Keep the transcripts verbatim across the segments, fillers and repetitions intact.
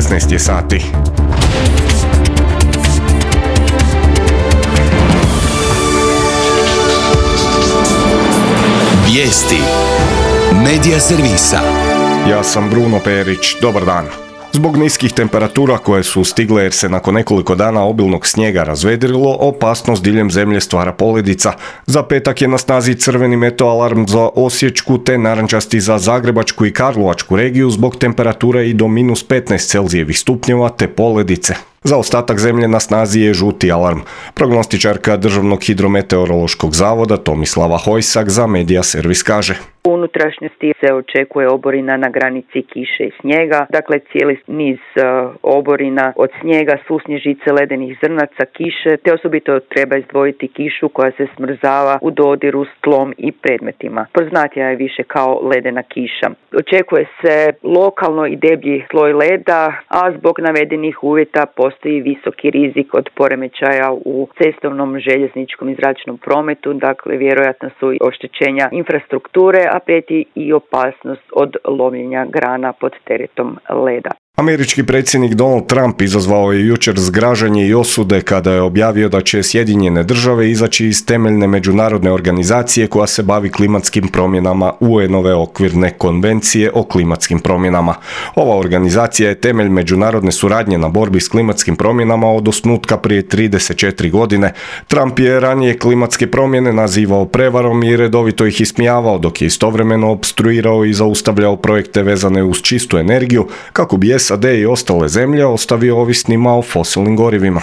šesnaest je sati. Vijesti Medija servisa. Ja sam Bruno Perić, dobar dan. Zbog niskih temperatura koje su stigle jer se nakon nekoliko dana obilnog snijega razvedrilo, opasnost diljem zemlje stvara poledica. Za petak je na snazi crveni meto alarm za Osječku te narančasti za Zagrebačku i Karlovačku regiju zbog temperature i do minus petnaest Celzijevih stupnjeva te poledice. Za ostatak zemlje na snazi je žuti alarm. Prognostičarka Državnog hidrometeorološkog zavoda Tomislava Hojsak za Medija servis kaže: U unutrašnjosti se očekuje oborina na granici kiše i snijega, dakle cijeli niz uh, oborina od snijega, susnježice, ledenih zrnaca, kiše, te osobito treba izdvojiti kišu koja se smrzava u dodiru s tlom i predmetima. Poznatija je više kao ledena kiša. Očekuje se lokalno i deblji sloj leda, a zbog navedenih uvjeta postoji visoki rizik od poremećaja u cestovnom, željezničkom i zračnom prometu, dakle vjerojatno su oštećenja infrastrukture, a prijeti i opasnost od lomljenja grana pod teretom leda. Američki predsjednik Donald Trump izazvao je jučer zgražanje i osude kada je objavio da će Sjedinjene države izaći iz temeljne međunarodne organizacije koja se bavi klimatskim promjenama U N-ove okvirne konvencije o klimatskim promjenama. Ova organizacija je temelj međunarodne suradnje na borbi s klimatskim promjenama od osnutka prije trideset četiri godine. Trump je ranije klimatske promjene nazivao prevarom i redovito ih ismijavao, dok je istovremeno opstruirao i zaustavljao projekte vezane uz čistu energiju kako bi S A D i ostale zemlje ostavio ovisnima o fosilnim gorivima.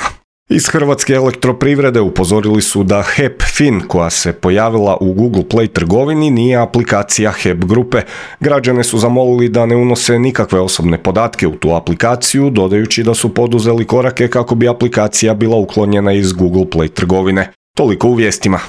Iz Hrvatske elektroprivrede upozorili su da H E P Fin, koja se pojavila u Google Play trgovini, nije aplikacija H E P grupe. Građane su zamolili da ne unose nikakve osobne podatke u tu aplikaciju, dodajući da su poduzeli korake kako bi aplikacija bila uklonjena iz Google Play trgovine. Toliko u vijestima.